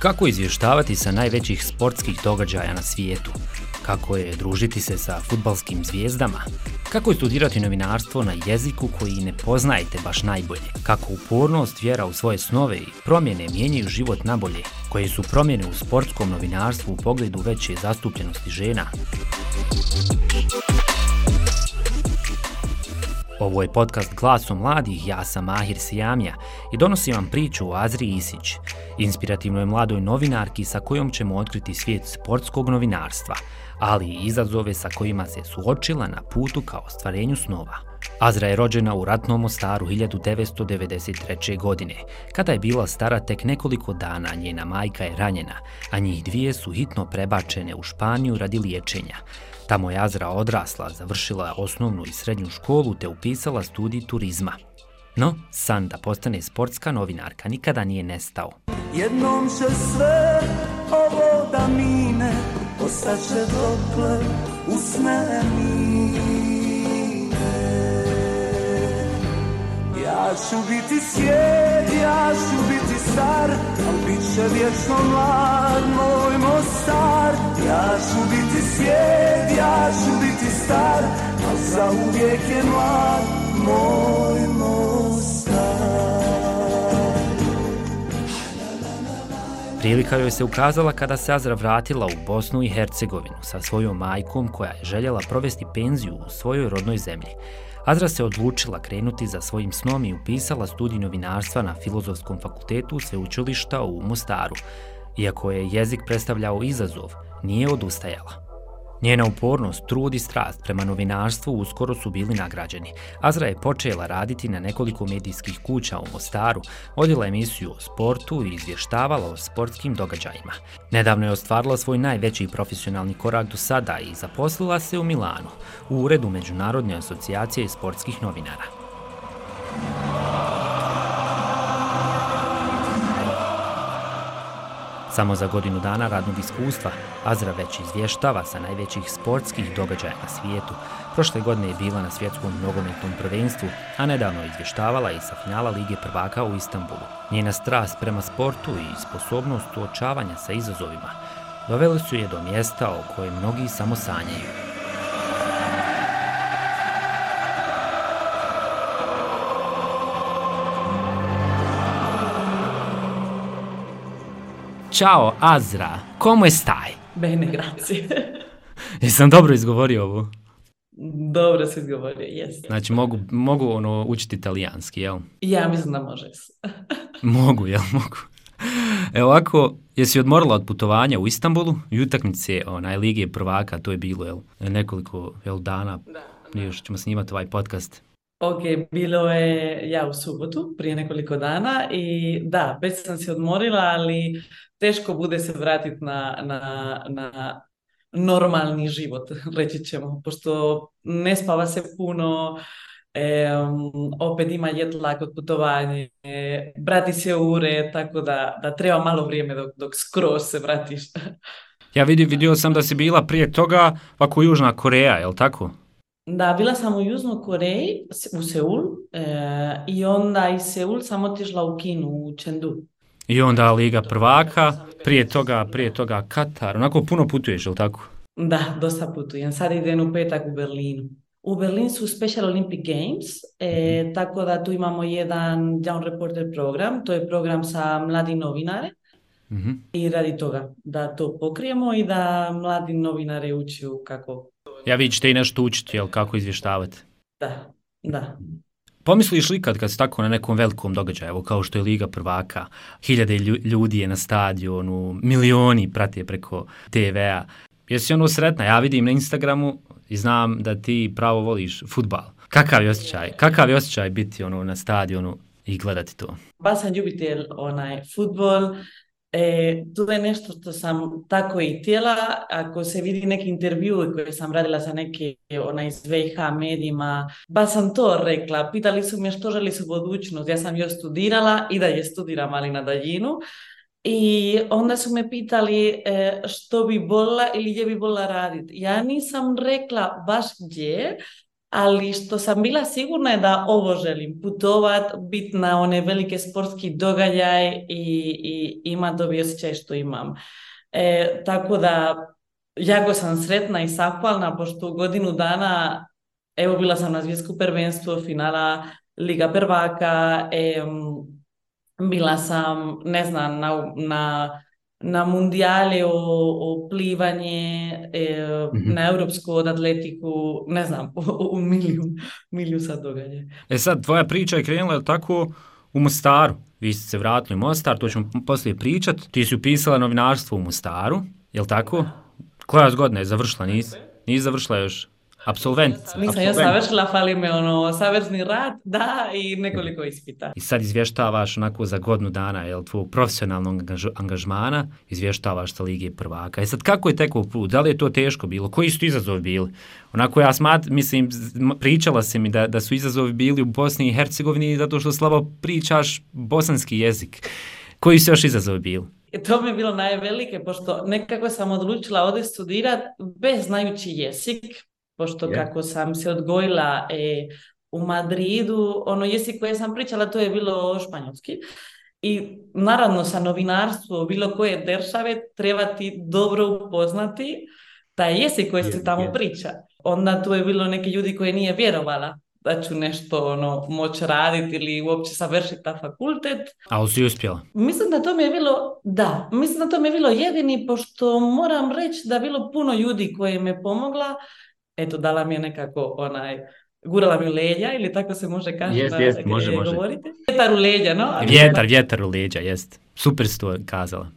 Kako izvještavati sa najvećih sportskih događaja na svijetu? Kako je družiti se sa fudbalskim zvijezdama? Kako je studirati novinarstvo na jeziku koji ne poznajete baš najbolje? Kako upornost, vjera u svoje snove i promjene mijenjaju život nabolje? Koje su promjene u sportskom novinarstvu u pogledu veće zastupljenosti žena? Ovo je podcast Glasom mladih, ja sam Mahir Sijamija i donosim vam priču o Azri Isić, inspirativnoj mladoj novinarki sa kojom ćemo otkriti svijet sportskog novinarstva, ali i izazove sa kojima se suočila na putu ka ostvarenju snova. Azra je rođena u ratnom Mostaru 1993. godine. Kada je bila stara tek nekoliko dana, njena majka je ranjena, a njih dvije su hitno prebačene u Španiju radi liječenja. Tamo je Azra odrasla, završila osnovnu i srednju školu te upisala studij turizma. No, san da postane sportska novinarka nikada nije nestao. Jednom će sve ovo da mine, ostaće dokle usne mine. Ja ću biti svijet, ja ću biti star, al bit će vječno mlad moj Mostar. Ja ću biti svijet, ja ću biti star, al zauvijek je mlad moj Mostar. Prilika joj se ukazala kada se Azra vratila u Bosnu i Hercegovinu sa svojom majkom koja je željela provesti penziju u svojoj rodnoj zemlji. Azra se odlučila krenuti za svojim snom i upisala studij novinarstva na Filozofskom fakultetu sveučilišta u Mostaru. Iako je jezik predstavljao izazov, nije odustajala. Njena upornost, trud i strast prema novinarstvu uskoro su bili nagrađeni. Azra je počela raditi na nekoliko medijskih kuća u Mostaru, vodila emisiju o sportu i izvještavala o sportskim događajima. Nedavno je ostvarila svoj najveći profesionalni korak do sada i zaposlila se u Milanu, u uredu Međunarodne asocijacije sportskih novinara. Samo za godinu dana radnog iskustva Azra već izvještava sa najvećih sportskih događaja na svijetu. Prošle godine je bila na svjetskom nogometnom prvenstvu, a nedavno je izvještavala i sa finala Lige prvaka u Istanbulu. Njena strast prema sportu i sposobnost suočavanja sa izazovima doveli su je do mjesta o kojem mnogi samo sanjaju. Ćao, Azra, come stai? Bene, grazie. Jesam dobro izgovorio ovo? Dobro si izgovorio, jes. Znači, mogu učiti italijanski, jel? Ja mislim da može. Mogu, jel? Mogu. Evo ovako, jesi odmorila od putovanja u Istanbulu i utakmice Lige prvaka, to je bilo, jel? Nekoliko dana, još ćemo snimati ovaj podcast. Ok, bilo je u subotu, prije nekoliko dana i da, već sam se odmorila, ali teško bude se vratiti na normalni život, reći ćemo, pošto ne spava se puno, opet ima jet lag od putovanja, vrati se u ured, tako da treba malo vrijeme dok skroz se vratiš. Ja vidio sam da si bila prije toga ovako Južna Koreja, jel tako? Da, bila sam u Južnoj Koreji, u Seul, i onda iz Seul sam otišla u Kinu, u Chengdu. I onda Liga prvaka, prije toga Katar, onako puno putuješ, jel tako? Da, dosta putujem. Sad idem u petak u Berlinu. U Berlinu su Special Olympic Games, tako da tu imamo jedan Young Reporter program, to je program sa mladim novinare. I radi toga da to pokrijemo i da mladi novinare učiju kako... Ja vi ćete i nešto učiti, jel, kako izvještavati? Da. Pomisliš li kad si tako na nekom velikom događaju, evo kao što je Liga prvaka, 1000 ljudi je na stadionu, milioni prate preko TV-a. Jesi sretna? Ja vidim na Instagramu i znam da ti pravo voliš fudbal. Kakav je osjećaj biti na stadionu i gledati to? Baš sam ljubitelj fudbal. To je nešto što sam tako i htjela. Ako se vidi neki intervju koje sam radila sa neke iz VH medijima, ba sam to rekla. Pitali su me što želi su budućnost. Ja sam još studirala i dalje studiram, ali na daljinu. I onda su me pitali što bi volila ili gdje bi volila raditi. Ja nisam rekla baš gdje, ali što sam bila sigurna je da ovo želim, putovat, biti na one velike sportski događaj i imati dobi osjećaj što imam. Tako da, jako sam sretna i zahvalna, pošto u godinu dana, evo bila sam na svjetskom prvenstvu, finala Liga prvaka, bila sam, ne znam, na mundijale o plivanje, na europsku od atletiku, ne znam, u miliju sad događa. Sad, tvoja priča je krenula tako u Mostaru. Vi ste se vratili u Mostar, to ćemo poslije pričat. Ti si upisala novinarstvo u Mostaru, jel tako? Koja godina je završila? Nisi završila još? Absolventica. Nisam još završila, fali me savezni rad, da, i nekoliko ispita. I sad izvještavaš onako za godinu dana, jel, tvojeg profesionalnog angažmana, izvještavaš sa Lige prvaka. I sad kako je tekao put? Da li je to teško bilo? Koji su izazovi bili? Onako ja mislim, pričala si mi da su izazovi bili u Bosni i Hercegovini zato što slabo pričaš bosanski jezik. Koji su još izazovi bili? To mi je bilo najvelike, pošto nekako sam odlučila ovdje studirati bez znajući jezik, pošto kako sam se odgojila u Madridu, ono jezik koje sam pričala, to je bilo španjolski. I naravno sa novinarstvo bilo koje države treba ti dobro upoznati taj jezik koji se tamo priča. Onda tu je bilo neke ljudi koje nije vjerovala da ću nešto moći raditi ili uopće savršiti ta fakultet. A si uspjela? Mislim da to mi je bilo jedini, pošto moram reći da je bilo puno ljudi koji me pomogla. Eto, dala mi je nekako gurala mi u leđa, ili tako se može govoriti. Vjetar u leđa, no? Vjetar u leđa, jest. Super si to kazala.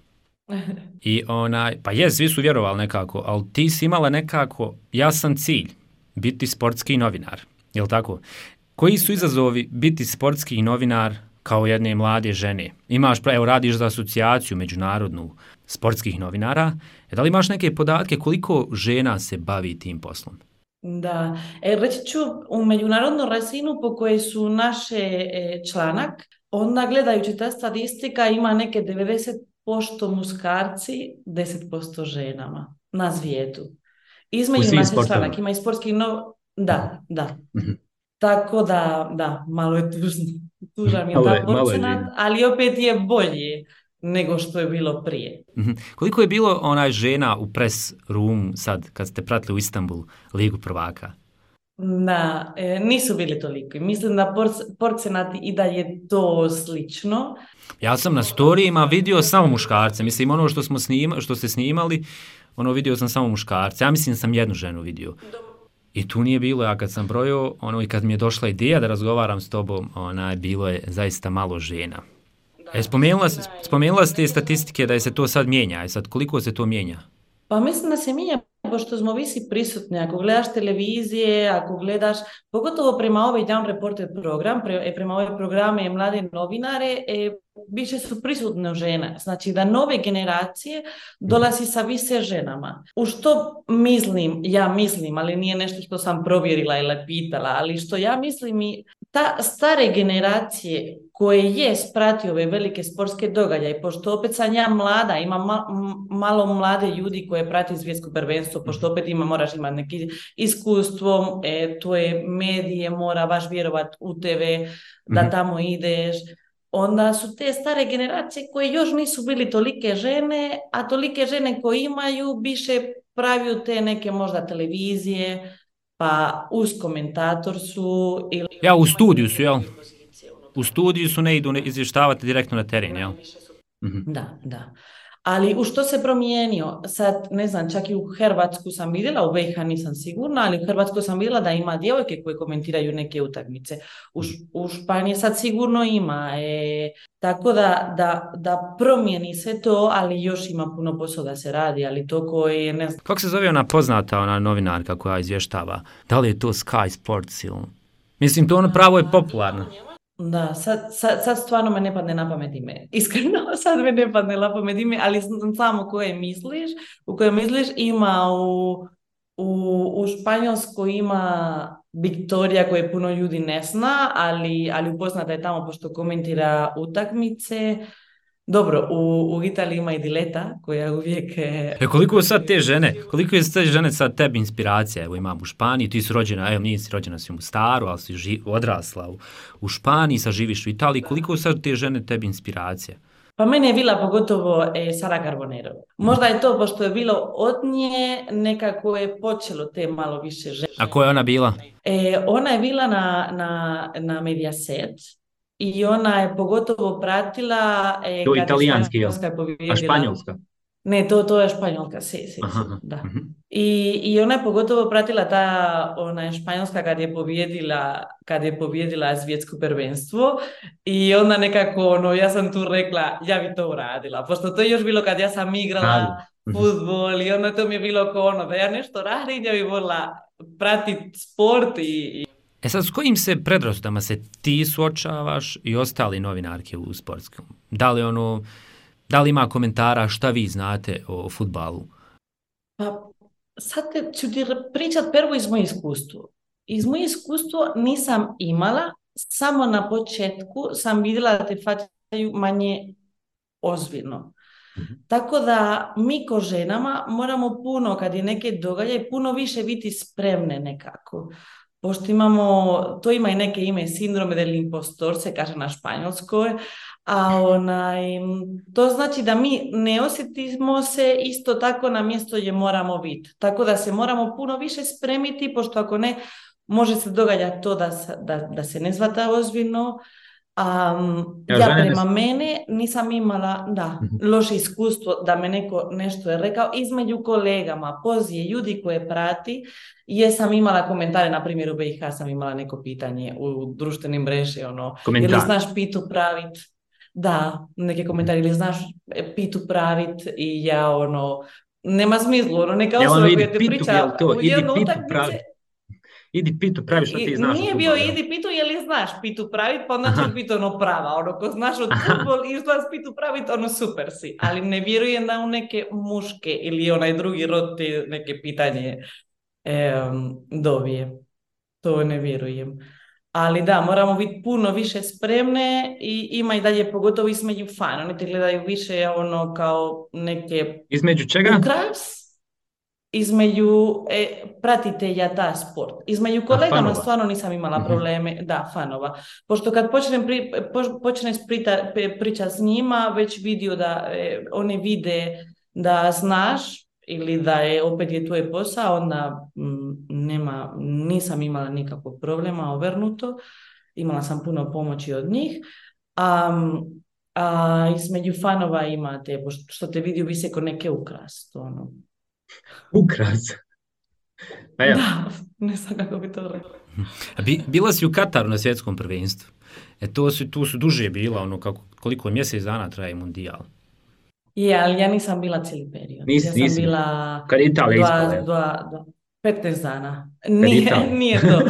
I pa svi su vjerovali nekako, ali ti si imala nekako jasan cilj, biti sportski novinar, jel tako? Koji su izazovi biti sportski novinar kao jedne mlade žene? Radiš za asocijaciju međunarodnu sportskih novinara. Da li imaš neke podatke koliko žena se bavi tim poslom? Da, reći ću u međunarodnu razinu po kojoj su naše članak, onda gledajući ta statistika ima neke 90% muškarci, 10% ženama na svijetu. Između naših članak ima i sportskih Da. Tako da, malo je tužan je ta procenat, ali opet je bolje nego što je bilo prije. Koliko je bilo žena u press room sad kad ste pratili u Istanbul Ligu prvaka? Da, nisu bili toliko. Mislim da procenat i da je to slično. Ja sam na storijima vidio samo muškarce. Mislim, ono što ste snimali, vidio sam samo muškarce. Ja mislim sam jednu ženu vidio. I tu nije bilo, ja kad sam brojio, i kad mi je došla ideja da razgovaram s tobom, bilo je zaista malo žena. Spomenula ste statistike da se to sad mijenja. Sad koliko se to mijenja? Pa mislim da se mijenja pošto smo visi prisutni. Ako gledaš televizije, ako gledaš, pogotovo prema ovaj Young Reporter program, prema ove programe mlade novinare, više su prisutne žene. Znači da nove generacije dolazi sa više ženama. U što mislim, ali nije nešto što sam provjerila ili pitala, ali što ja mislim i ta stare generacije koje je spratio ove velike sportske događaje, pošto opet sam ja mlada, ima malo mlade ljudi koje prati svjetsko prvenstvo, pošto opet moraš imati neko iskustvo, to je medije, mora baš vjerovati u TV, da tamo ideš. Onda su te stare generacije koje još nisu bili tolike žene, a tolike žene koje imaju više praviju te neke možda televizije, pa uz komentator su ili... U studiju su, jel? U studiju su, ne idu izvještavati direktno na teren, jel? Da. Ali u što se promijenio? Sad, ne znam, čak i u Hrvatsku sam vidjela, u BiH nisam sigurna, ali u Hrvatsku sam vidjela da ima djevojke koje komentiraju neke utakmice. U Španiji sad sigurno ima. Tako da promijeni sve to, ali još ima puno posla da se radi, ali to koje, ne znam... Kako se zove ona poznata novinarka koja izvještava? Da li je to Sky Sports ili... Mislim, to pravo je popularno. Da, sad stvarno me ne padne na pamet ime. Iskreno, sad me ne padne na pamet ime, ali samo u koje misliš, ima u Španjolskoj ima Viktorija koje puno ljudi ne zna, ali upoznata je tamo pošto komentira utakmice. Dobro, u Italiji ima i Dileta koja uvijek... Koliko je te žene sad tebi inspiracija? Evo imam u Španiji, ti si rođena, evo nisi rođena si u Mostaru, ali si odrasla u Španiji, sad živiš u Italiji, koliko sad te žene tebi inspiracija? Pa mene je bila pogotovo Sara Carbonero. Možda je to, pošto je bilo od nje, nekako je počelo te malo više žene. A koja je ona bila? Ona je bila na Mediaset i ona je pogotovo pratila... To je italijanski, jel? A španjolska? Ne, to je Španjolka, si, da. I ona je pogotovo pratila ona je Španjolska kad je pobjedila svjetsko prvenstvo i onda nekako, ja sam tu rekla, ja bi to uradila, pošto to je još bilo kad ja sam igrala fudbal i onda to mi je bilo da ja nešto radim, ja bi volila pratiti sport i... Sad, s kojim se predrasudama se ti suočavaš i ostali novinarke u sportskom? Da li ima komentara šta vi znate o fudbalu? Pa sad ću ti pričat prvo iz moje iskustvo. Iz moje iskustvo nisam imala, samo na početku sam vidjela da te faćaju manje ozbiljno. Tako da mi ko ženama moramo puno, kad je neke događaje, puno više biti spremne nekako. Pošto to ima i neke ime, sindrome del impostor, se kaže na španjolskoj, a to znači da mi ne osjetimo se isto tako na mjesto gdje moramo biti. Tako da se moramo puno više spremiti, pošto ako ne, može se događati to da se ne shvata ozbiljno. Ja prema mene nisam imala loše iskustvo da me neko nešto je rekao između kolegama, pozije, ljudi koje prati. Jesam imala komentare, na primjer u BiH sam imala neko pitanje u društvenim mreži, ili znaš pitu pravit? Da, neke komentari, ili znaš pitu pravit? I ja, nema smislu, neka osoba koja te priča u jednu utakmice. Idi pitu pravi što ti znaš. Nije bio idi pitu je li znaš pitu pravit, pa onda će biti prava. Ko znaš od futbol i znaš pitu pravit, super si. Ali ne vjerujem da u neke muške ili onaj drugi rod te neke pitanje dobije. To ne vjerujem. Ali da, moramo biti puno više spremne i ima i dalje, pogotovo između fan. Oni te gledaju više kao neke... Između čega? Ukras. Između pratitelja ta sport. Između kolegama stvarno nisam imala probleme, fanova. Pošto kad počneš pričati s njima, već vidio da oni vide da znaš ili da opet je tvoj posao, onda nisam imala nikakvog problema, obrnuto. Imala sam puno pomoći od njih. A između fanova imate, što te vidio visoko neke ukras, Ukras? Pa ja. Da, ne znam kako bi to rekla. Bila si u Kataru na svjetskom prvenstvu. Tu su duže bila, koliko mjesec dana traje mundijal. Je, ali ja nisam bila cijeli period. Ja sam bila kad Italija 15 dana. Nije to.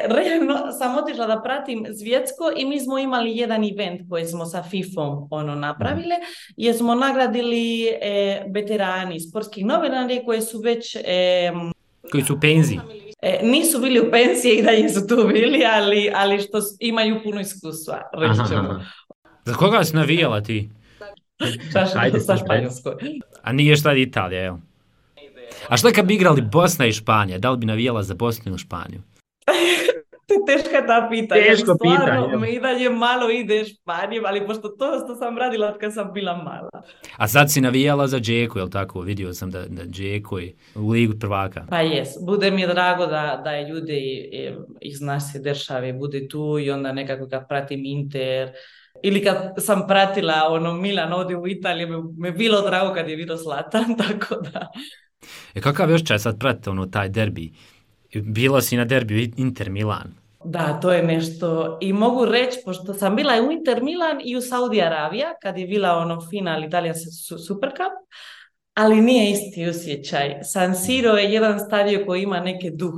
Realno sam otišla da pratim svjetsko i mi smo imali jedan event koji smo sa FIFA-om napravili, jer smo nagradili veterani, sportskih novinari koji su već... koji su u penziji. Nisu bili u penziji i dalje su tu bili, ali što imaju puno iskustva, reći ćemo. Za koga si navijala ti? Sa Španjolskoj. A nije šta Italija, evo. A šta kad bi igrali Bosna i Španija? Da li bi navijala za Bosnu ili Španiju? Teška ta pitanja. Teško pitanje. Me i dalje malo ide Španijom, ali pošto to što sam radila od kad sam bila mala. A sad si navijala za Džeku, jel tako? Vidio sam da Džeko je u ligu prvaka. Pa jes. Bude mi je drago da je ljudi iz naše države bude tu i onda nekako kad pratim Inter. Ili kad sam pratila Milan ovdje u Italiji, me bilo drago kad je bilo Zlatan, tako da... Kakav još čas sad pratite taj derbi? Bila si na derbiju Inter Milan. Da, to je nešto. I mogu reći, pošto sam bila u Inter Milan i u Saudi Arabija, kad je bila final Italija Super Cup, ali nije isti osjećaj. San Siro je jedan stadion koji ima neki duh.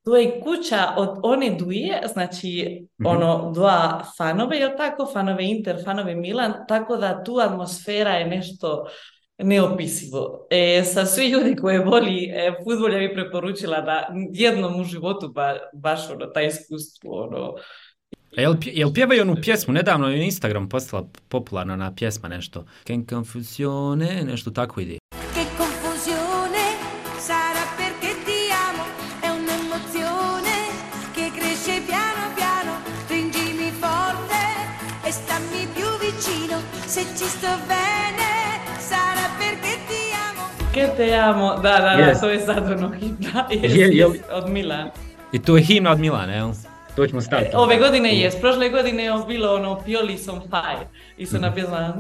To je kuća od one dvije, znači dva fanove, jel tako? Fanove Inter, fanove Milan, tako da tu atmosfera je nešto neopisivo. Sa svi ljudi koji voli fudbal, ja bih preporučila da jednom u životu baš taj iskustvo. Jel pjevaju onu pjesmu, nedavno je na Instagram postala popularna ona pjesma nešto. Che confusione, nešto tako ide. Che confusione sarà perché ti amo, è un'emozione che cresce piano piano, stringimi forte e stammi più vicino, se ci sto bene sarà perché ti amo. Che te amo, da, Yes. to je sad ono himna, Jel- od Milan. I to je himna od Milana, jel? To ćemo staviti. Ove godine jest, prošle godine je bilo ono Pioli on fire i su napisala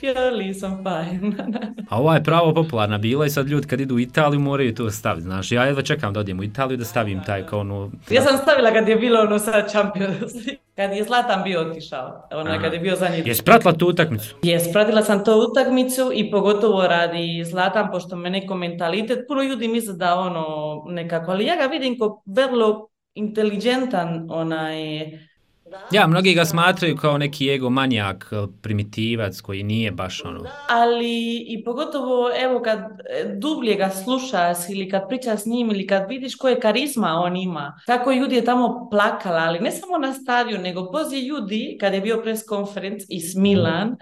Pioli on fire. A ova je pravo popularna bila i sad ljudi kad idu u Italiju moraju to staviti, znaš. Ja jedva čekam da odijem u Italiju da stavim taj kao ono... Ja sam stavila kad je bilo ono sad Champions League, kad je Zlatan bio otišao, kad je bio zadnji. Jesi pratila tu utakmicu? Jes, pratila sam to utakmicu i pogotovo radi Zlatan, pošto me neko mentalitet, puno ljudi misle da ono nekako, ali ja ga vidim kao vrlo inteligentan Ja, mnogi ga smatraju kao neki egomanijak, primitivac koji nije baš ono... ali i pogotovo evo kad dublje ga slušaš ili kad pričaš s njim ili kad vidiš koje karizma on ima, kako ljudi je tamo plakala, ali ne samo na stadionu, nego poslije ljudi kad je bio press conference iz Milan,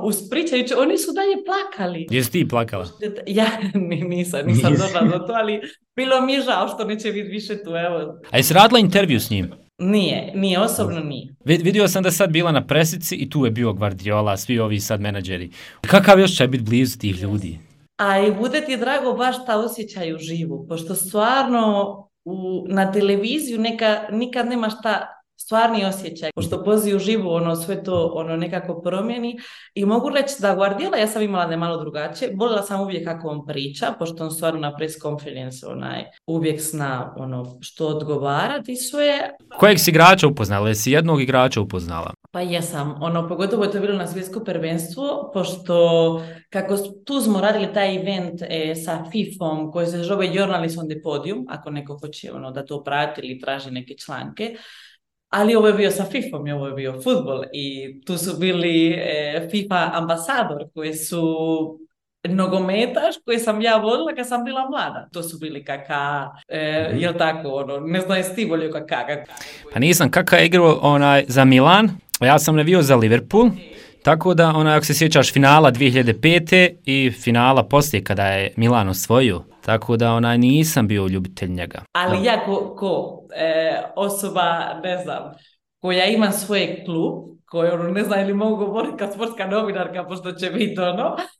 uspričajući, oni su dalje plakali. Jesi ti plakala? Ja nisam došla do to, ali bilo mi je žao što neće biti više tu, evo. A jesi radila intervju s njim? Nije, osobno nije. Vidio sam da sad bila na presici i tu je bio Guardiola, svi ovi sad menadžeri. Kakav još će biti blizu tih ljudi? A i bude ti drago baš ta osjećaj u živu, pošto stvarno na televiziju nikad nemaš ta stvarni osjećaj, pošto poziv u živu sve to nekako promijeni i mogu reći da Guardiola, ja sam imala da je malo drugačije, voljela sam uvijek kako on priča, pošto on stvarno na press conference uvijek zna što odgovarati i sve. Kojeg si igrača upoznala? Jesi jednog igrača upoznala? Pa jesam, pogotovo je to bilo na svjetsko prvenstvo, pošto kako tu smo radili taj event sa FIFA-om koji se zove Journalists on the Podium, ako neko hoće da to prati ili traži neke članke. Ali ovo je bio sa FIFA-om i ovo je bio fudbal i tu su bili FIFA ambasador koji su nogometaš koji sam ja volila kad sam bila mlada. To su bili Kaka, jel tako, ne znam jesi ti volio Kaka. Pa nisam, Kaka je igrao za Milan, ja sam navio za Liverpool, tako da ako se sjećaš finala 2005. i finala poslije kada je Milan osvojio, tako da nisam bio ljubitelj njega. Ali ja ko osoba, ne znam, koja ima svoj klub, koju ne znam ili mogu govoriti kao sportska novinarka, pošto će biti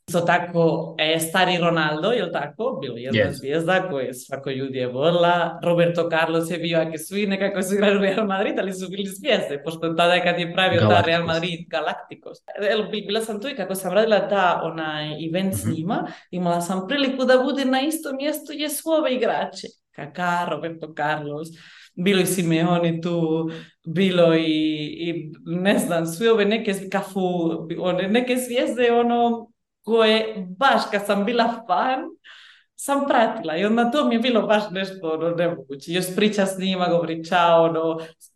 isto tako stari Ronaldo, jel tako, bilo jedna zvijezda koju svako ljudi je volila, Roberto Carlos je bio, ako svi nekako su igrali u Real Madrid, ali su bili zvijezde, pošto tada kad je pravio ta Real Madrid Galacticos. Bila sam tu i kako sam radila event s njima, imala sam priliku da bude na istom mjestu gdje su ove igrače. Kaká, Roberto Carlos, bilo i Simeone tu, bilo i ne znam, sve ove neke neke zvijezde, koje baš kad sam bila fan, sam pratila i onda to mi je bilo baš nešto nemoguće. Još priča s njima, govori čao,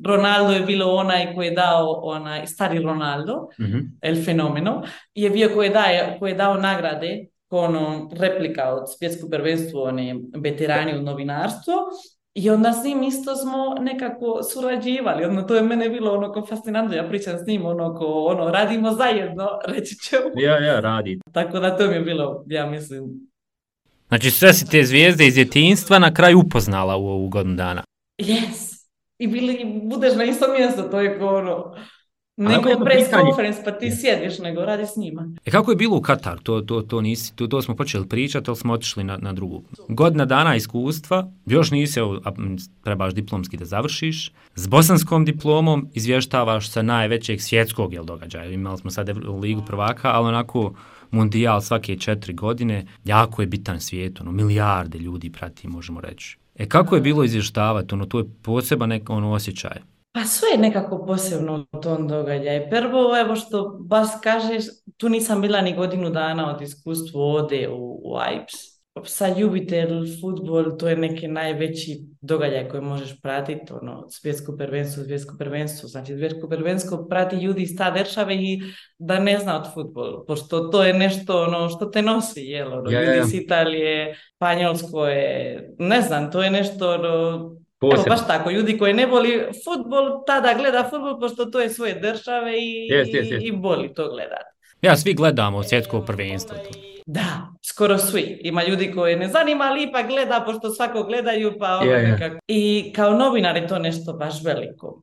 Ronaldo je bilo onaj koji je dao, stari Ronaldo, el fenomeno, je bio koji je dao nagrade, replika od svjetskog prvenstva, veterani u novinarstvu, i onda s njim isto smo nekako surađivali, to je mene bilo ko fascinantno, ja pričam s njim radimo zajedno, reći ćemo. Ja, radi. Tako da to mi je bilo, ja mislim. Znači sve si te zvijezde iz djetinjstva na kraju upoznala u ovu godinu dana. Yes. I budeš na isto mjesto, to je neko press conference, pa ti sjediš, nego radi s njima. Kako je bilo u Kataru? To smo počeli pričati, ali smo otišli na drugu. Godina dana iskustva, još nisi, trebaš diplomski da završiš. S bosanskom diplomom izvještavaš sa najvećeg svjetskog događaja. Imali smo sad Ligu prvaka, ali onako mundijal svake 4 godine, jako je bitan svijet, milijarde ljudi prati, možemo reći. Kako je bilo izvještavati? To je poseban osjećaj. Pa sve je nekako posebno u tom događaju. Prvo, evo što baš kažeš, tu nisam bila ni godinu dana od iskustva ode u Ajax. Sa ljubitelj futbol, to je neki najveći događaj koji možeš pratiti, svjetsko prvenstvo. Znači, svjetsko prvenstvo prati ljudi iz ta države i da ne zna od futbol, pošto to je nešto što te nosi, ljudi iz Italije, Španjolsko je, ne znam, to je nešto Evo, Posebno. baš tako, ljudi koji ne voli futbol, tada gleda futbol, pošto to je svoje države i voli to gledati. Ja, svi gledamo svjetsko prvenstvo. Da, skoro svi. Ima ljudi koji ne zanima, ali ipak gleda, pošto svako gledaju, pa nekako. I kao novinar je to nešto baš veliko.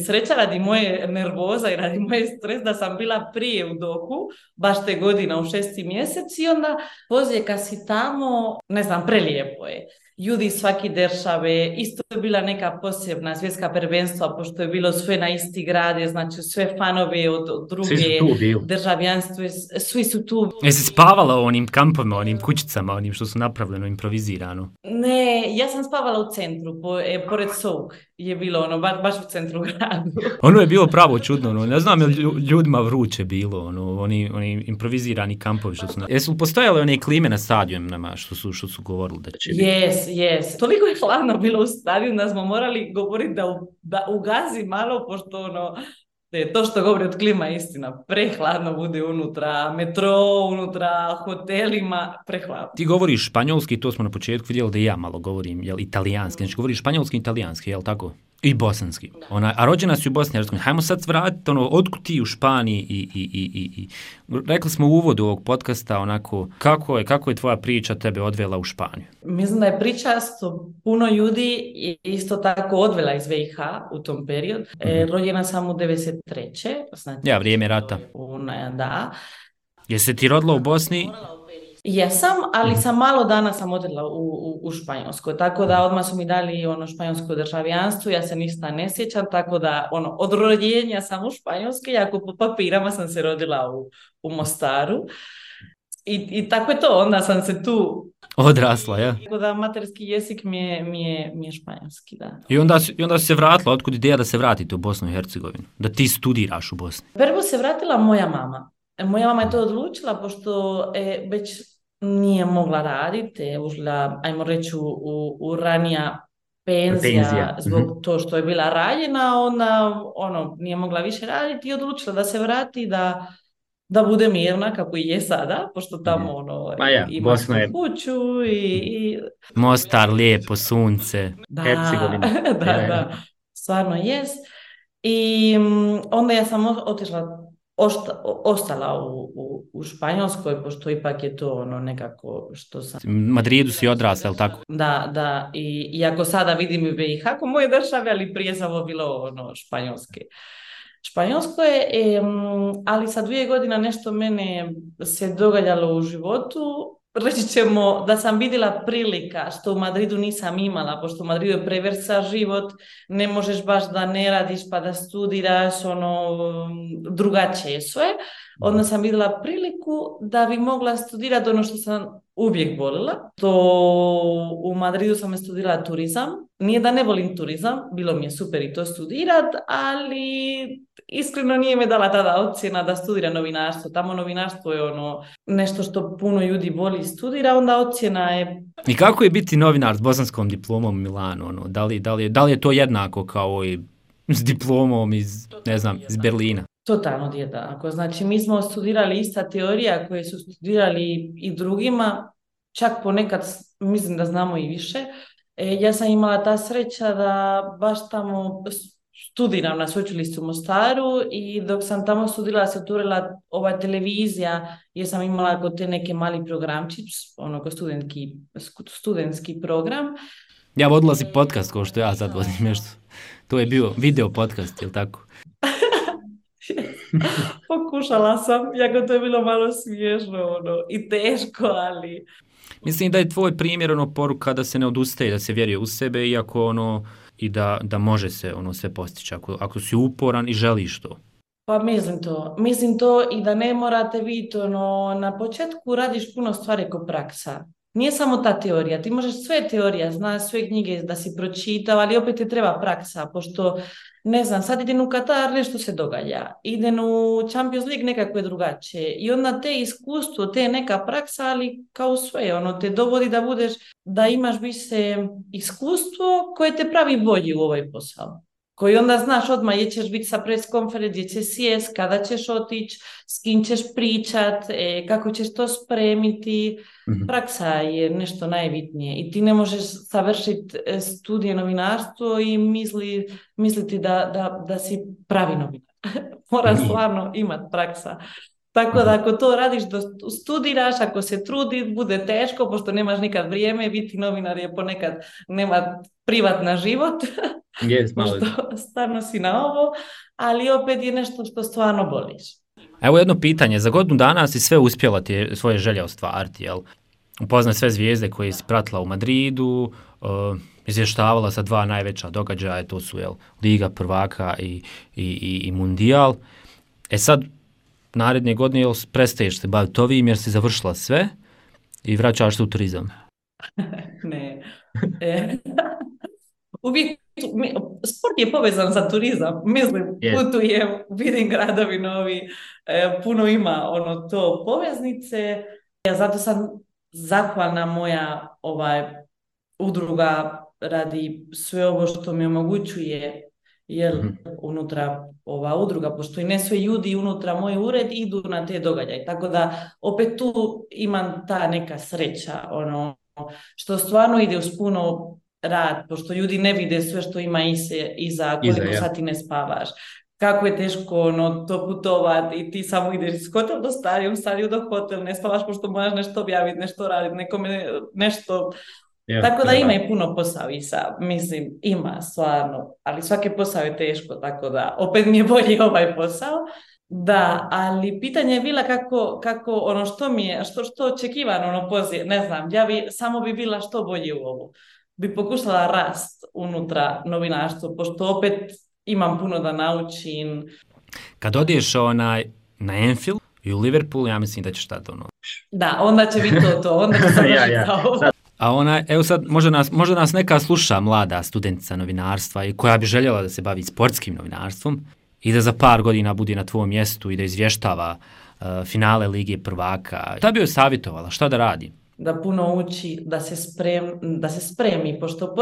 Sreća radi moje nervoza i radi moje stres da sam bila prije u Dohu, baš te godina u 6. mjesec i onda pozije kad si tamo, ne znam, prelijepo je. Ljudi iz svake države, isto je bila neka posebna svjetska prvenstva, pošto je bilo sve na isti grade, znači sve fanove od druge državljanstve, svi su tu. Jesi spavala u onim kampovima, onim kućicama, onim što su napravljeno, improvizirano? Ne, ja sam spavala u centru, pored Souk je bilo ono, baš u centru gradu. Ono je bilo pravo čudno, ono, ne znam je ljudima vruće bilo, ono, oni improvizirani kampovi što su... Jesu postojale one klime na stadionima što su govorili da će biti? Yes. Toliko je hladno bilo u stadionu da smo morali govoriti da ugazi malo, pošto ono, to što govori od klima je istina. Prehladno bude unutra, metro, unutra hotelima, prehladno. Ti govoriš španjolski, to smo na početku vidjeli da i ja malo govorim, jel, italijanski. Znači govoriš španjolski i italijanski, jel tako? I bosanski. A rođena si u Bosni i Hercegovini. Hajmo sad vratiti otkud ti u Španiji i rekli smo u uvodu ovog podcasta onako kako je tvoja priča tebe odvela u Španiju? Mislim da je priča puno ljudi isto tako odvela iz BiH u tom periodu. Rođena sam u 93. Znači, vrijeme rata. Da. Jesi ti rodila u Bosni? Jesam, ali sam malo dana sam odjela u Španjolskoj, tako da odmah su mi dali španjolsko državljanstvo, ja se ništa ne sjećam, tako da od rođenja sam u Španjolskoj, jako po papirama sam se rodila u Mostaru i tako je to, onda sam se tu odrasla, ja. Tako da materski jezik mi je španjolski, da. I onda se vratila, otkud ideja da se vratite u Bosnu i Hercegovinu, da ti studiraš u Bosni? Prvo se vratila moja mama. Moja mama je to odlučila, pošto već nije mogla raditi, je ušla, ajmo reći, u ranija penzija zbog to što je bila ranjena, onda nije mogla više raditi i odlučila da se vrati, da bude mirna kako i je sada, pošto tamo ima svoju kuću i... Mostar, lijepo, sunce, Hercegovina. Da, stvarno jest. I onda ja sam ostala u Španjolskoj, pošto ipak je to nekako što sam... Madridu si odrasla, ali tako? Da, i ako sada vidim i BiH kako moje države, ali prije samo bilo Španjolsko je, ali sa 2 godine nešto mene se događalo u životu. Reći ćemo da sam vidjela prilika što u Madridu nisam imala, pošto u Madridu je prevrsa život, ne možeš baš da ne radiš pa da studiraš, drugačije sve. Onda sam vidjela priliku da bi mogla studirati ono što sam uvijek volila. U Madridu sam studirala turizam. Nije da ne volim turizam, bilo mi je super i to studirat, ali iskreno nije me dala tada ocjena da studira novinarstvo. Tamo novinarstvo je nešto što puno ljudi voli studira, onda ocjena je... I kako je biti novinar s bosanskom diplomom u Milanu? Da li je to jednako kao i s diplomom iz Berlina? Totalno jednako. Znači, mi smo studirali ista teorija koje su studirali i drugima, čak ponekad mislim da znamo i više. Ja sam imala ta sreća da baš tamo studiram na sveučilištu u Mostaru i dok sam tamo studirala se otvorila ova televizija jer sam imala kod te neke mali programčić, studentski program. Ja vodila si podcast kao što ja sad vodim nešto. To je bio video podcast, jel tako? Pokušala sam, jako to je bilo malo smiješno i teško, ali... Mislim da je tvoj primjer poruka da se ne odustaje, da se vjeruje u sebe, iako i da može se sve postići, ako si uporan i želiš to. Pa mislim to i da ne morate vidjeti, na početku radiš puno stvari ko praksa. Nije samo ta teorija, ti možeš sve teorija, znaš sve knjige da si pročitao, ali opet ti treba praksa, pošto, ne znam, sad idem u Katar, nešto se događa, idem u Champions League, nekako je drugačije i onda te iskustvo, te neka praksa, ali kao sve, te dovodi da imaš više iskustvo koje te pravi bolji u ovaj posao. koji onda znaš odmah gdje ćeš biti sa pres konferencije, gdje ćeš sjest, kada ćeš otići, s kim ćeš pričat, kako ćeš to spremiti. Praksa je nešto najbitnije i ti ne možeš savršiti studije novinarstvo i misliti da si pravi novinar. Mora stvarno imati praksa. Tako da ako to radiš, studiraš, ako se trudi, bude teško, pošto nemaš nikad vrijeme, biti novinar je ponekad, nema privatna život, pošto stvarno si na ovo, ali opet je nešto što stvarno voliš. Evo jedno pitanje, za godinu dana si sve uspjela ti svoje želje ostvariti, jel? Upoznaj sve zvijezde koje si pratila u Madridu, izvještavala sa 2 najveća događaja, to su Liga prvaka i Mundijal. Sad, naredne godine prestaješ se baviti ovim jer si završila sve i vraćaš se u turizam? Ne. Uvijek, sport je povezan sa turizam. Mislim, putujem, vidim gradovi novi, puno ima to poveznice. Zato sam zahvalna moja udruga radi sve ovo što mi omogućuje unutra ova udruga, pošto i ne sve ljudi unutra moj ured idu na te događaje. Tako da opet tu imam ta neka sreća, što stvarno ide uz puno rad, pošto ljudi ne vide sve što ima iza koliko sati ne spavaš. Kako je teško to putovati i ti samo ideš iz hotel do stadion do hotel, ne spavaš pošto moraš nešto objaviti, nešto raditi, nekome nešto... Tako da ima i puno posao mislim, ima stvarno, ali svaki posao je teško, tako da opet mi je bolji ovaj posao. Da, ali pitanje je bila kako što mi je, što očekivano poziv, ne znam, samo bi bila što bolje u ovu. Bi pokušala rast unutra novinarstvo, pošto opet imam puno da naučim. Kad odeš na Anfield i u Liverpool, ja mislim da ćeš tada Da, onda će biti to, onda će završiti ovo. A evo sad, možda nas neka sluša mlada studentica novinarstva i koja bi željela da se bavi sportskim novinarstvom i da za par godina bude na tvojom mjestu i da izvještava finale Lige prvaka. Šta bi joj savjetovala? Šta da radi? Da puno uči, da se spremi, pošto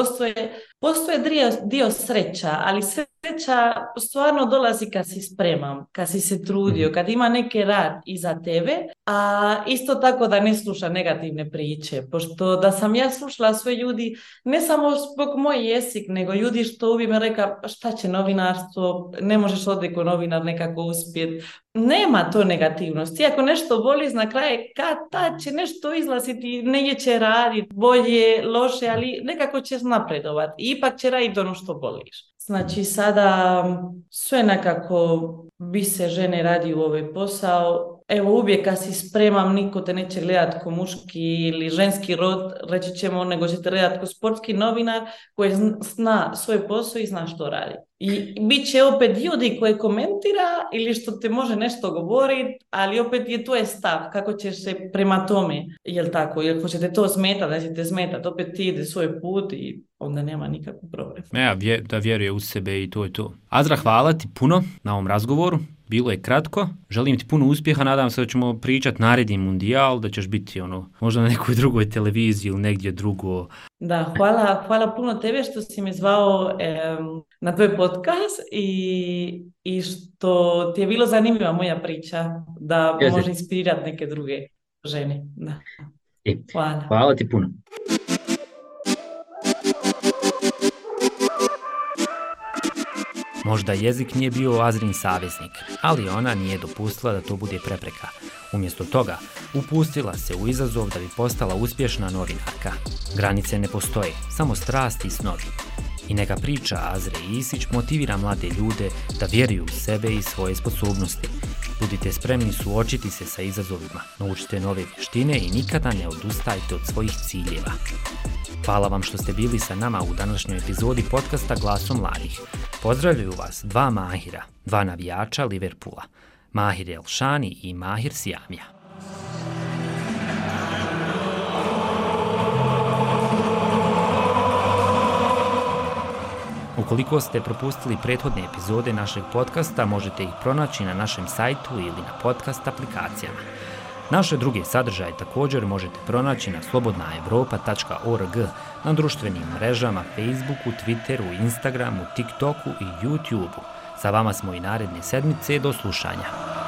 postoje dio sreća, ali sreća stvarno dolazi kad si spreman, kad si se trudio, kad ima neki rad iza tebe, a isto tako da ne sluša negativne priče, pošto da sam ja slušala sve ljudi, ne samo zbog moj jezik, nego ljudi što uvijek me reka šta će novinarstvo, ne možeš odliko novinar nekako uspjeti. Nema to negativnosti. Ako nešto voliš, na kraju kad će nešto izlaziti, negdje će raditi bolje, loše, ali nekako ćeš napredovati. I ipak će raditi ono što voliš. Znači sada sve nekako bi se žene radi u ovaj posao. Evo uvijek kad si spremam, niko te neće gledati ko muški ili ženski rod, reći ćemo, nego će te gledati ko sportski novinar koji zna svoj posao i zna što radi. I bit će opet ljudi koji komentira ili što te može nešto govoriti, ali opet je tvoj stav, kako ćeš se prema tome, jel tako, jel hoćete to smetati, da ćete smetati, opet ti ide svoj put i onda nema nikakvu problem. Da vjeruje u sebe i to je to. Azra, hvala ti puno na ovom razgovoru. Bilo je kratko. Želim ti puno uspjeha. Nadam se da ćemo pričati naredni Mundijal, da ćeš biti možda na nekoj drugoj televiziji ili negdje drugo. Da, hvala puno tebe što si me zvao na tvoj podcast i što ti je bilo zanimljiva moja priča, da može inspirirati neke druge žene. Da. Hvala ti puno. Možda jezik nije bio Azrin saveznik, ali ona nije dopustila da to bude prepreka. Umjesto toga, upustila se u izazov da bi postala uspješna novinarka. Granice ne postoje, samo strasti i snovi. I neka priča Azre Isić motivira mlade ljude da vjeruju u sebe i svoje sposobnosti. Budite spremni suočiti se sa izazovima, naučite nove vještine i nikada ne odustajte od svojih ciljeva. Hvala vam što ste bili sa nama u današnjoj epizodi podcasta Glasom mladih. Pozdravljaju vas 2 Mahira, 2 navijača Liverpoola, Mahir Elšani i Mahir Sijamija. Ukoliko ste propustili prethodne epizode našeg podcasta, možete ih pronaći na našem sajtu ili na podcast aplikacijama. Naše druge sadržaje također možete pronaći na slobodnaevropa.org, na društvenim mrežama Facebooku, Twitteru, Instagramu, TikToku i YouTubeu. Sa vama smo i naredne sedmice, do slušanja.